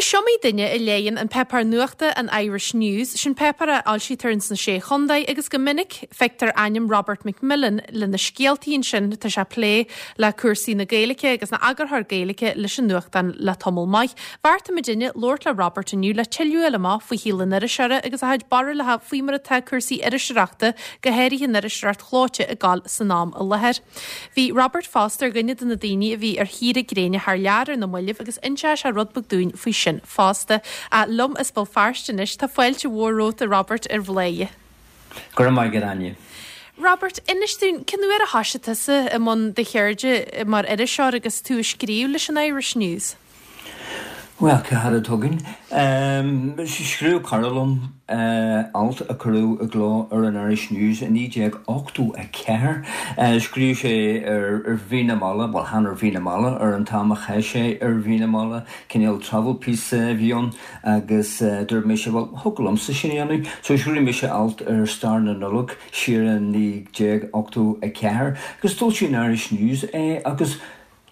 Is iomaí duine a léigheann an páipéar nuachta an Irish News, sin páipéar a fhoilsítear ins na Sé Chontae agus go minic feictear ainm Robert McMillen le na scéaltaí ansin, tá sé ag plé le cúrsaí na Gaeilge agus ina eagarthóir Gaeilge leis an nuachtán le tamall maith. Bheartaigh muidinne labhairt le Robert inniu le tuilleadh a fháil amach faoi shaol an iriseora agus a chuid barúlacha faoi mar atá cúrsaí iriseoireachta, go háirithe an iriseoireacht chlóite ag gabháil san am i láthair. Bhí Robert fosta ar dhuine de na daoine a bhí ar shaoire gréine thar lear ar na mallaibh agus inseoidh sé rud beag dúinn faoi sin fosta. Liom as Béal Feirste anois, tá fáilte mhór romhat a Robert ar Bhladhaire. Go raibh maith agat Áine. Robert, inis dúinn, cén uair a thoisigh tusa i mbun do cheirde mar iriseoir agus tú ag scríobh leis an Irish News? Bhuel, cá fhad atá againn? Scríobh cara liom alt a cuireadh i gcló ar an Irish News i 1984. Scríobh sé ar Mhí na Meala, bhuel, chan ar Mhí na Meala, ar an t-am a chaith sé ar Mhí na Meala, cineál travel piece a bhí ann agus dúirt mise, bhuel, thig liomsa sin a dhéanamh. So scríobh mise alt ar stair na Nollag siar i 1984 agus d'fhoilsigh an Irish News é agus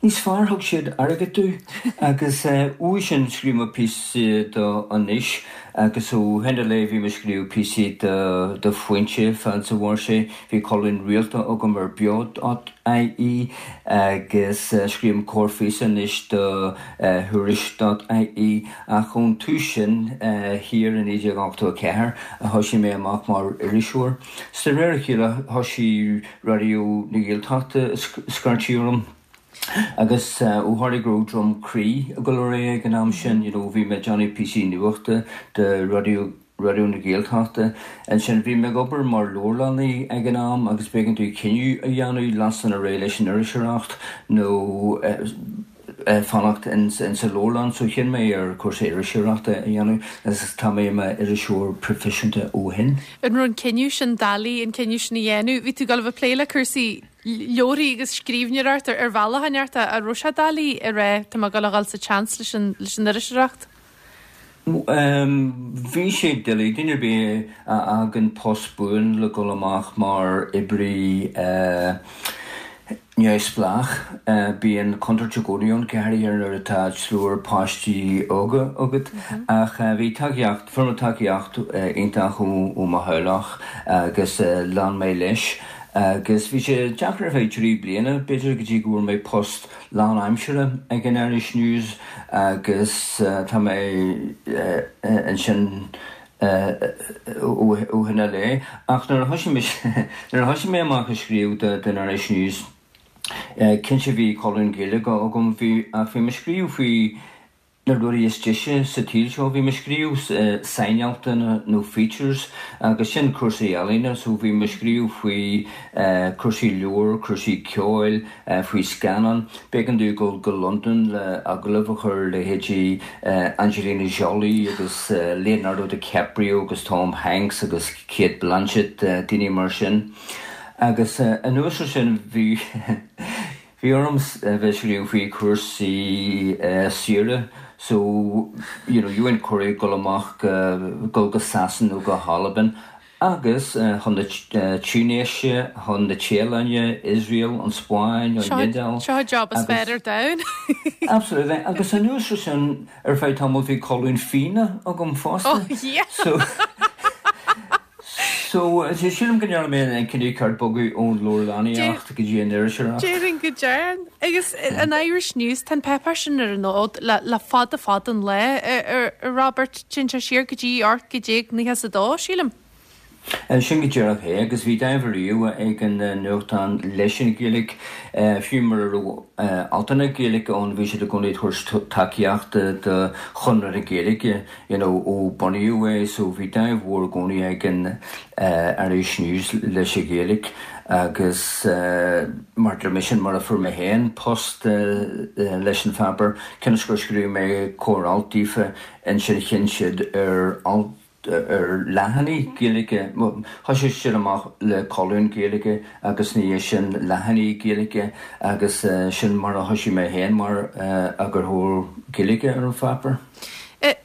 Níos fearr, thug siad airgead domh agus uaidh sin scríobh mé píosa do Anois agus ó shin i leith bhí mé ag scríobh píosaí do do Foinse fad is a mhair sé. Bhí colún rialta agam ar Beo dot ie agus scríobhaim corrphíosa anois do Thuairisc dot ie ach ón tús sin thiar i 1984 a thoisigh mé amach mar iriseoir. 'S de réir a chéile thoisigh Raidió na Gaeltachta ag scairtigh orm agus ó tharla go raibh Droim Crí ag dul ar aghaidh ag an am sin, you know, bhí mé ag déanamh píosaí nuachta do Raidió Raidió na Gaeltachta. Ansin bhí mé ag obair mar leabharlannaí ag an am agus b'éigean domh cinneadh a dhéanamh leanstan ar aghaidh leis an iriseoireacht nó fanacht in sa leabharlann so chinn mé ar cúrsa iriseoireachta a dhéanamh agus tá mé i m'iriseoir proifisiúnta ó shin. An raibh an cinneadh sin doiligh, an cinneadh sin a dhéanamh? Bhí tú ag dul a bheith ag plé le cúrsaí leabharthaí agus scríbhneoireacht ar bhealach inteacht, an raibh sé doiligh a rá tá mé ag dul a dhul sa tseans leis an leis an iriseoireacht? Bhí sé doiligh, duine ar bith a fhágann post buan le dhul amach mar oibrí neamhspleách, bíonn contúirt i gcónaí ann, go háirithe nuair atá triúr páistí óga agat. Ach bhí tacaíocht, fuair mé tacaíocht iontach ó mo theaghlach agus lean mé leis. Agus bhí sé deacair ar feadh 3 bliana, b'fhéidir, go dtí go bhfuair mé post lánaimseartha ag an Irish News agus tá mé ansin ó shin i leith. Ach nuair a thoisigh mise, nuair a thoisigh mé amach ag scríobh don Irish News, cinnte bhí colún Gaeilge agam, bhí, ach bhí mé ag scríobh faoi na rudaí is deise sa tsaol seo. Bhí mé ag scríobh sainaltanna nó features agus sin cúrsaí ealaíne so bhí mé ag scríobh faoi cúrsaí leabhar, cúrsaí ceoil, faoi scannán. B'éigean domh dul go Londain le agallamh a chur ar leithéidí Angelina Jolie agus Leonardo DiCaprio agus Tom Hanks agus Cate Blanchett, daoine mar sin. Agus anuas ar sin bhí. Bhí orm bheith ag scríobh faoi chúrsaí saoire so you know gheobhainn cuireadh dul amach go dul go Sasana nó go hAlbain agus chun na Túinéise, chun na Téalainne, Iosrael, an Spáinn, an Iodáil. Seo an job is fearr ar domhan. Absolutely agus anuas ar sin ar feadh tamaill bhí colún fíona agam fosta. Oh yeah! So So, sílim go ndearna mé an cinneadh ceart bogadh ón leabharlannaíocht go dtí an iriseoireacht. Déarfainn go dearn. Agus an Irish News, tá an páipéar sin ar an fhód le fada fada an lá, a Robert, téann sé siar go dtí 1892, sílim. Sin go díreach é, agus bhí dáimh ariamh ag an nuachtán leis an Ghaeilge, fiú mura raibh altanna Gaeilge ann, bhí siad i gcónaí ag tabhairt tacaíochta do Chonradh na Gaeilge. you know ó bunaíodh é so bhí dáimh mhór i gcónaí ag an Irish News leis an Ghaeilge agus mar a deir mé sin mar a fuair mé féin post leis an pháipéar cionn is gur scríobh mé corr-alt daofa ansin chinn siad ar alt ar leathanaigh Gaeilge, bhuel thoisigh siad amach le colún Gaeilge agus ina dhiaidh sin leathanaigh Gaeilge agus sin mar a thoisigh mé féin mar eagarthóir Gaeilge ar an pháipéar.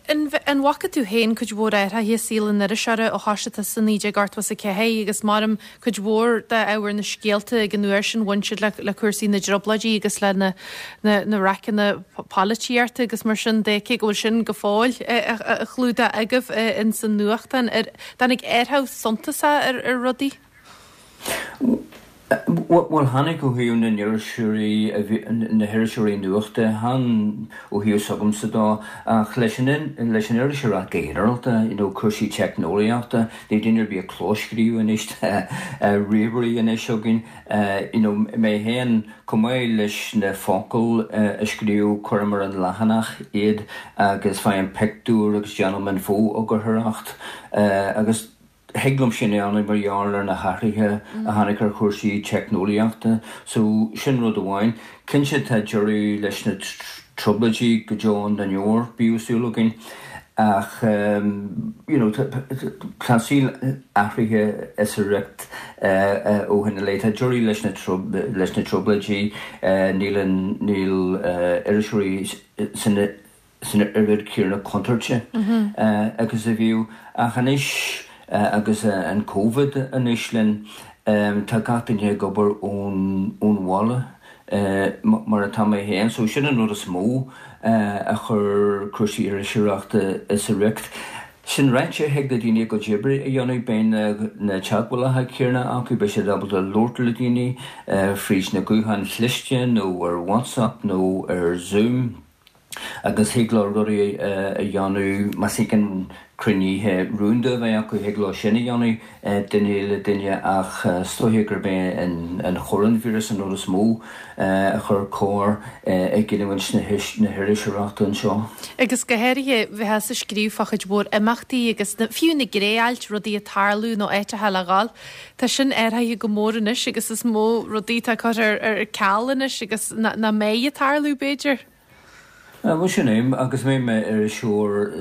An. An bhfaca tú féin cuid mhór athraithe i saol an iriseora ó thoisigh tusa i 1984 agus maram cuid mhór d'ábhar na scéalta ag an uair sin bhain siad le cúrsaí na dtrioblóidí agus le na na raiceanna polaitíochta agus mar sin de cé go bhfuil sin go fóill á chlúdach agaibh ins an nuachtán. Ar tháinig athrú suntasach ar rudaí? Bhuel, tháinig ó thaobh na n-iriseoirí, na hiriseoirí nuachta, chan ó thaobh s'agamsa dó, ach leis an, leis an iriseoireacht go ginearálta, you know, cúrsaí teicneolaíochta, níl duine ar bith ag clóscríobh anois, tá ríomhairí anois againn, you know, mé féin, chomh maith leis na focail a scríobh, cuirim ar an leathanach iad agus faighim pictiúr agus déanaim an fho-eagarthóireacht agus, Thig liom sin a dhéanamh mar gheall ar na hathruithe a tháinig ar chúrsaí teicneolaíochta. So, sin rud amháin. Cinnte tá deireadh leis na trioblóidí go deo na ndeor, bíodh súil againn. Ach, you know, tá an saol athraithe as a riocht ó shin i leith. Tá deireadh leis na leis na trioblóidí, níl an, níl iriseoirí san san oiread céanna contúirte agus a bhíodh. Ach anois agus an Covid anois linn, tá gach duine ag obair ón bhaile, mar atá mé féin. So sin an rud is mó a chuir cúrsaí iriseoireachta as a riocht. Sin ráite, thig le daoine a gcuid oibre a dhéanamh, beidh na teagmhálacha céanna acu, beidh siad ábalta labhairt le daoine fríd na gutháin chliste nó ar WhatsApp nó ar Zoom. agus thig leo rudaí a dhéanamh, más éigean cruinnithe rúnda a bheith acu, thig leo sin a dhéanamh duine le duine ach is dóiche gurb é an choróinvíreas an rud is mó a chuir cor i gcinniúint na hiriseoireachta anseo. Agus go háirithe, bheifeá ag scríobh fá chuid mhór imeachtaí agus fiú na gné-ailt, rudaí ag tarlú nó áiteacha le dhul. Tá sin athraithe go mór anois agus is mó rudaí atá curtha ar ceal anois agus nach mbeidh ag tarlú, b'fhéidir. Bhuel sin é, agus mé i m'iriseoir,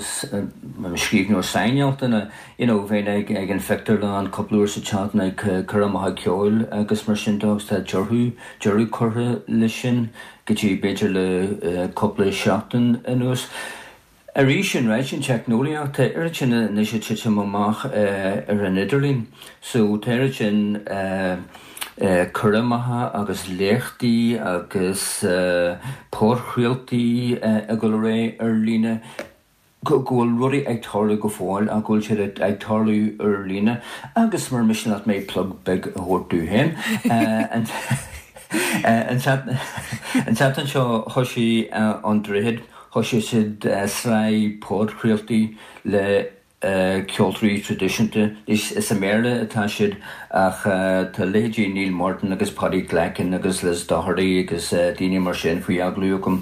scríbhneoir sainealtanna, you know, bheinn ag ag an phictiúrlann cúpla uair sa tseachtain ag coirmeacha ceoil agus mar sin de agus tá deireadh, deireadh curtha leis sin go dtí b'fhéidir le cúpla seachtain anuas. Arís, sin ráite, an teicneolaíocht, tá oiread sin anois ag titim amach ar an idirlíon. So tá oiread sin coirmeacha agus léachtaí agus podchraoltaí ag dul ar aghaidh ar líne go bhfuil rudaí ag tarlú go fóill ach go bhfuil siad ag tarlú ar líne. Agus mura miste leat mé plug beag a thabhairt domh féin, an tseachtain seo thoisigh An Droichead, Thoisigh siad sraith podchraoltaí le ceoltóirí traidisiúnta. Is i mBéarla atá siad ach tá leithéidí Neil Martin agus Paddy Glackin agus Liz Doherty agus daoine mar sin faoi agallamh acu.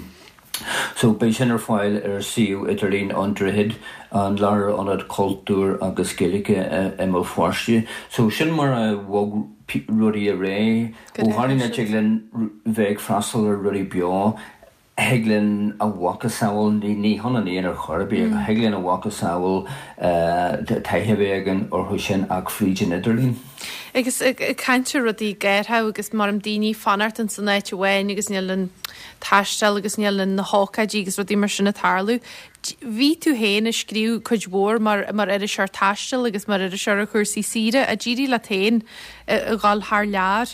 So beidh sin ar fáil ar suíomh idirlín An Droichead, an Lárionad Cultúir agus Gaeilge i mBéal Feirste. So sin mar a bhog rudaí ar aghaidh. Ó tharla nach dtig linn bheith ag freastal ar rudaí beo, Thig linn a mhacasamhail, ní hionann aon ar chor ar bith, ach thig linn a mhacasamhail taithí a bheith againn orthu sin ach fríd an idirlíon. Agus ag caint ar rudaí ag athrú agus mar daoine fanacht ins an áit amháin agus níl an taisteal agus níl na hócáidí agus rudaí mar sin ag tarlú. Bhí tú féin ag scríobh cuid mhór mar mar iriseoir taistil agus mar iriseoir ar chúrsaí saoire. Ar d'éirigh leat féin a dhul thar lear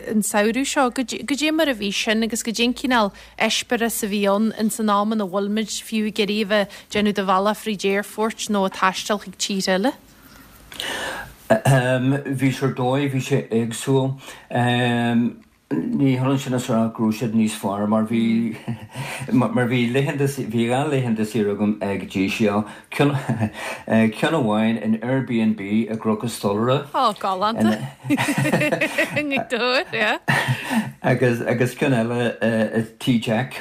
an samhradh seo. Goidé mar a bhí sin agus goidé an cineál eispéireas a bhí ann ins an am ina bhfuil muid fiú ag iarraidh a bheith ag déanamh do bhealach fríd aerfoirt nó ag taisteal chuig tíortha eile? Bhí sé ar dóigh, bhí sé éagsúil. Ní hionann sin is a rá go raibh siad níos fearr mar bhí mar bhí laethanta bhí 2 laethanta saoire agam ag DCL, ceann ceann amháin in Airbnb i gCnoc an Stolaire. Ó, galánta. I nGaoth Dobhair, yeah. Agus agus ceann eile i Tigh Jack.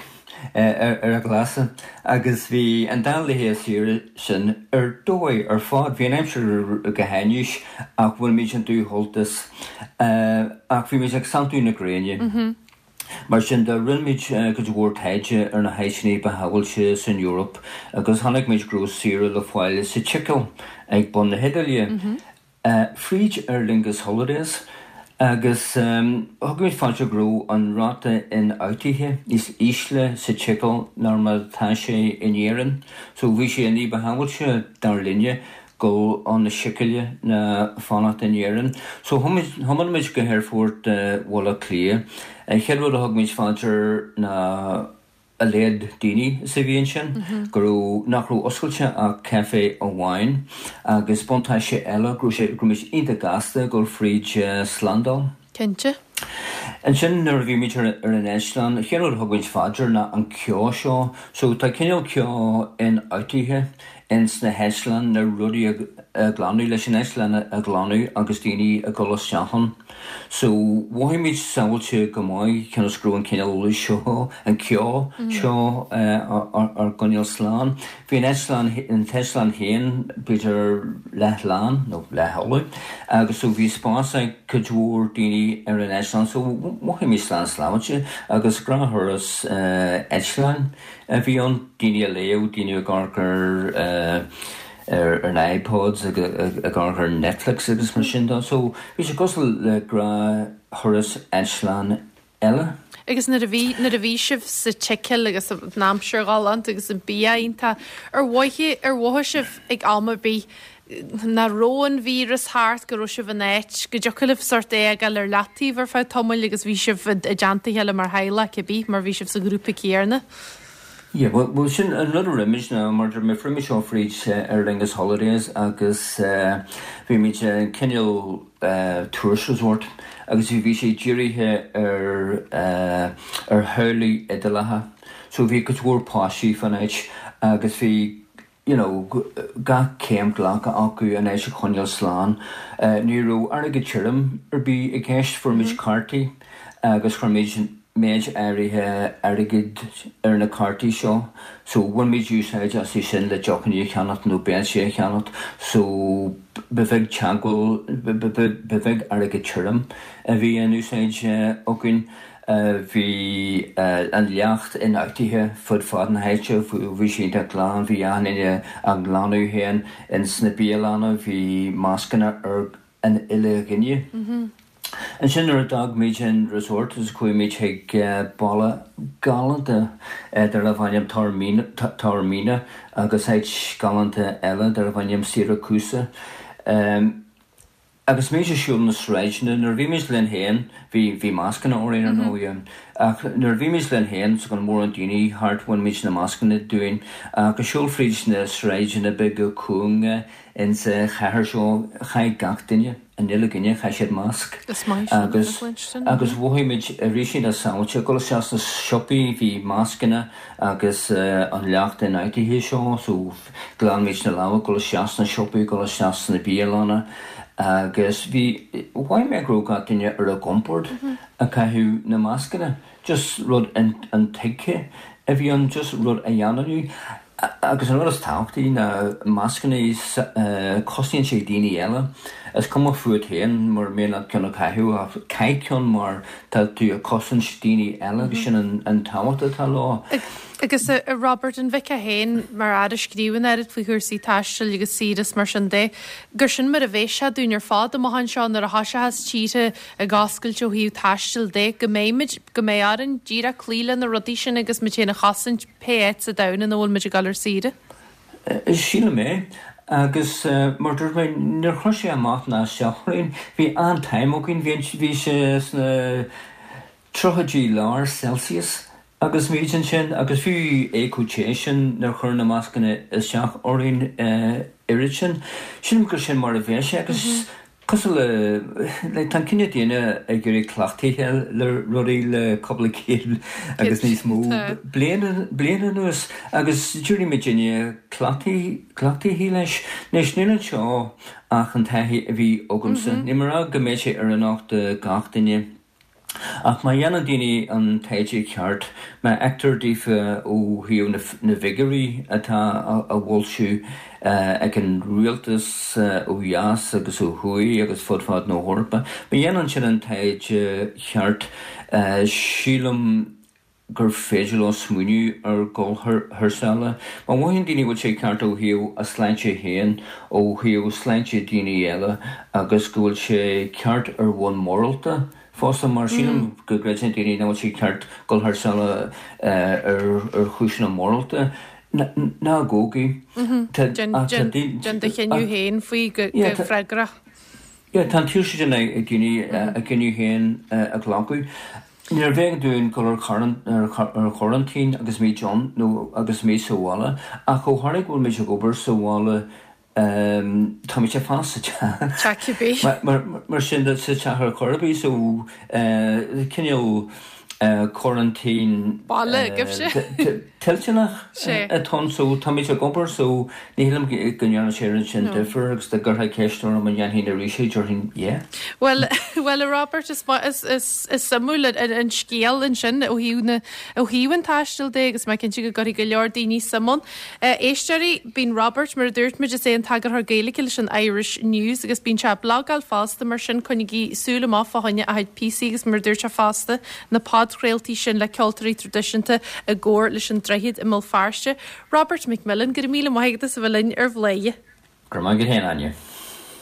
ar an Ghlasaigh agus bhí an dá laetha saoire sin ar dóigh ar fad. Bhí an aimsir go hainnis ach bhain muid an dúsholtas ach bhí muid ag santú na gréine. Mar sin de rinne muid cuid mhór taighde ar na háiteanna ba shábháilte san Eoraip agus chonaic muid go raibh saoire le fáil sa tSicil ag bun na hIodáile. Fríd Aer Lingus Holidays. Agus thug muid fá dear go raibh an ráta ionfhabhtaithe níos ísle sa tSicil ná mar atá sé in Éirinn. So bhí sé ní ba shábháilte, dar linne, dul chun na Sicile ná fanacht in Éirinn. So thiomáin muid go hAerfort Bhaile Átha Cliath. An chéad rud a thug muid fá dear ná a laghad daoine is a bhí ansin, go raibh, nach raibh oscailte ach caife amháin agus buntáiste eile go raibh sé, go raibh muid iontach gasta ag dul fríd slándáil. Cinnte. Ansin nuair a bhí muid ar an eitleán, an chéad rud a thug muid fá dear ná an ceo seo. So tá cineál ceo ionfhabhtaithe ins na heitleáin, na rudaí a ghlanadh, leis an eitleán a ghlanadh agus daoine ag dul isteach ann. So, mhothaigh muid sábháilte go maith cionn is go raibh an cineál seo, an ceo seo ár gcoinneáil slán. Bhí an eitleán, an t-eitleán féin b'fhéidir leath-lán nó leath-fholamh agus so bhí spás ag cuid mhór daoine ar an eitleán so mhothaigh muid slán sábháilte agus gnáth-thuras eitleáin a bhí ann, daoine ag léamh, daoine ag amharc ar ar na iPods ag amharc ar Netflix agus mar sin de. So bhí sé cosúil le gnáth-thuras eitleáin eile. Agus nuair a bhí, nuair a bhí sibh sa tSicil agus an aimsir ghalánta agus an bia iontach, ar mhothaigh, ar mhothaigh sibh ag am ar bith nach raibh an víreas thart, go raibh sibh in áit, go dtiocfadh libh sórt é a fhágáil ar leataobh ar feadh tamaill agus bhí sibh i dteannta a chéile mar theaghlach cibé, mar bhí sibh sa ghrúpa céanna? Yeah, bhuel, bhuel sin an rud a rinne muid ná mar dúirt mé, fuair muid seo fríd Aer Lingus Holidays agus bhí muid i cineál tourist resort agus bhí sé dírithe ar ar theaghlaigh Iodálacha. So bhí cuid mhór páistí fán áit agus bhí you know gach céim glactha acu an áit a choinneáil slán. Ní raibh airgead tirim ar bith i gceist, fuair muid cártaí agus chuir muid méid áirithe airgid ar na cártaí seo so bhain muid úsáid astu sin le deochanna a cheannacht nó béiltí a cheannacht so ba bheag teagmháil, ba bheag airgead tirim a bhí in úsáid againn. Bhí an leacht ionfhabhtaithe fud fad na háite, bhí sé iontach glan, bhí achan duine á nglanadh féin ins na bialanna, bhí mascanna ar an uile dhuine. Ansin nuair a d'fhág muid an resort agus chuaigh muid chuig baile galánta darbh ainm Taormina agus áit galánta eile darbh ainm Siracusa. Agus muid ag siúl na sráideanna, nuair a bhí muid linn féin, bhí, bhí mascanna orainn ar ndóigh, ach nuair a bhí muid linn féin 's gan mórán daoine thart bhain muid na mascanna dúinn ach ag siúl fríd na sráideanna beaga cúnga insa chathair seo, chaith gach duine, an uile dhuine, chaith siad masc. Is maith sin Agus, a chluinstin. agus mhothaigh muid arís iontach sábháilte, ag dul isteach sna siopaí, bhí mascanna agus an leacht ionfhabhtaithe seo so, Ghlan muid na lámha, dul isteach sna siopaí, dul isteach sna bialanna agus bhí, mhothaigh mé go raibh gach duine ar a gcompord ag caitheamh na mascanna. Just rud intuigthe a bhí ann, just rud a dhéanamh. Agus an rud is tábhachtaí ná mascanna, cosnaíonn sé daoine eile. Is cuma fút féin mura mian leat ceann a chaitheamh ach caith ceann mar tá tú ag cosaint daoine eile agus sin an tábhacht atá leo. Agus a Robert, an bhfeicfeá féin, mar fhear a scríobhann oiread faoi chúrsaí taistil agus saoire is mar sin de, gur sin mar a bheas sé dúinn ar fad amach anseo nuair a thoiseochas tíortha ag oscailt ó thaobh taistil de, go mbeimid, go mbeidh orainn díreach cloí le na rudaí sin agus muid féin a chosaint pé áit sa domhan ina bhfuil muid ag dul ar saoire? Sílim é. Agus mar dúirt mé, níor chuir sé amach ná isteach orainn. Bhí an-time againn, bhí, bhí sé sna tríochaidí lár Celsius Agus muid ansin, agus fiú é chomh te sin, níor chuir na mascanna isteach orainn oiread sin. Sílim gur sin mar a bheas sé agus cosúil le, like, tá an cine daonna ag éirí cleachtaithe le rudaí le cúpla céad agus níos mó bliain, bliain anuas agus d'éirigh muidinne cleachtaithe leis. Anois, níl anseo ach an taithí a bhí agamsa. Níl mé ag rá go mbeidh sé oiriúnach do gach duine. Ach má dhéanann daoine an taighde ceart, má fheictear daofa ó thaobh na bhfigiúirí atá á bhfoilsiú ag an rialtas ó dheas agus ó thuaidh agus fud fad na hEorpa, má dhéanann siad an taighde ceart, sílim. gur féidir leo smaoineamh ar dhul thar sáile. Má mhothaíonn daoine go bhfuil sé ceart ó thaobh a sláinte féin, ó thaobh sláinte daoine eile agus go bhfuil sé ceart ar bhonn morálta fosta, mar sílim go gcreideann daoine nach bhfuil sé ceart dul thar sáile ar chúiseanna morálta, ná gabhaigí. Déan do chinneadh féin faoi go freagrach. Yeah, tá an tsaoirse sin ag daoine a gcinneadh féin a ghlacadh. Níorbh éigean dúinn dul ar choraintín agus muid ann nó agus muid sa bhaile, ach ó tharla go bhfuil muid ag obair sa bhaile, táimid ar fad sa teach. Teach cibé. Mar sin de, sa teach ar chor ar bith, so cineál coraintín Baile agaibhse. toilteanach atá ann, so táimid ag obair so ní shílim go ndearna sé an oiread sin difear agus dá gcuirfeá ceist orm an ndéanfainn arís é, déarfainn yeah. Bhuel, bhuel a Robert, is is is is suimiúil an an scéal ansin ó thaobh na ó thaobh an taistil de agus mé cinnte go gcuirfidh go leor daoine suim ann. Éisteoirí, bíonn Robert, mar a dúirt muid, is é an t-eagarthóir Gaeilge leis an Irish News agus bíonn sé ag blagáil fosta, mar sin coinnigí súil amach fá choinne a chuid píosaí agus mar a dúirt sé fosta, na podchraoltaí sin le ceoltóirí traidisiúnta i gcomhar leis an Droichead i mBéal Feirste. Robert McMillen, go raibh míle maith agat as a bheith linn ar Bhladhaire. Go raibh maith agat féin, Áine.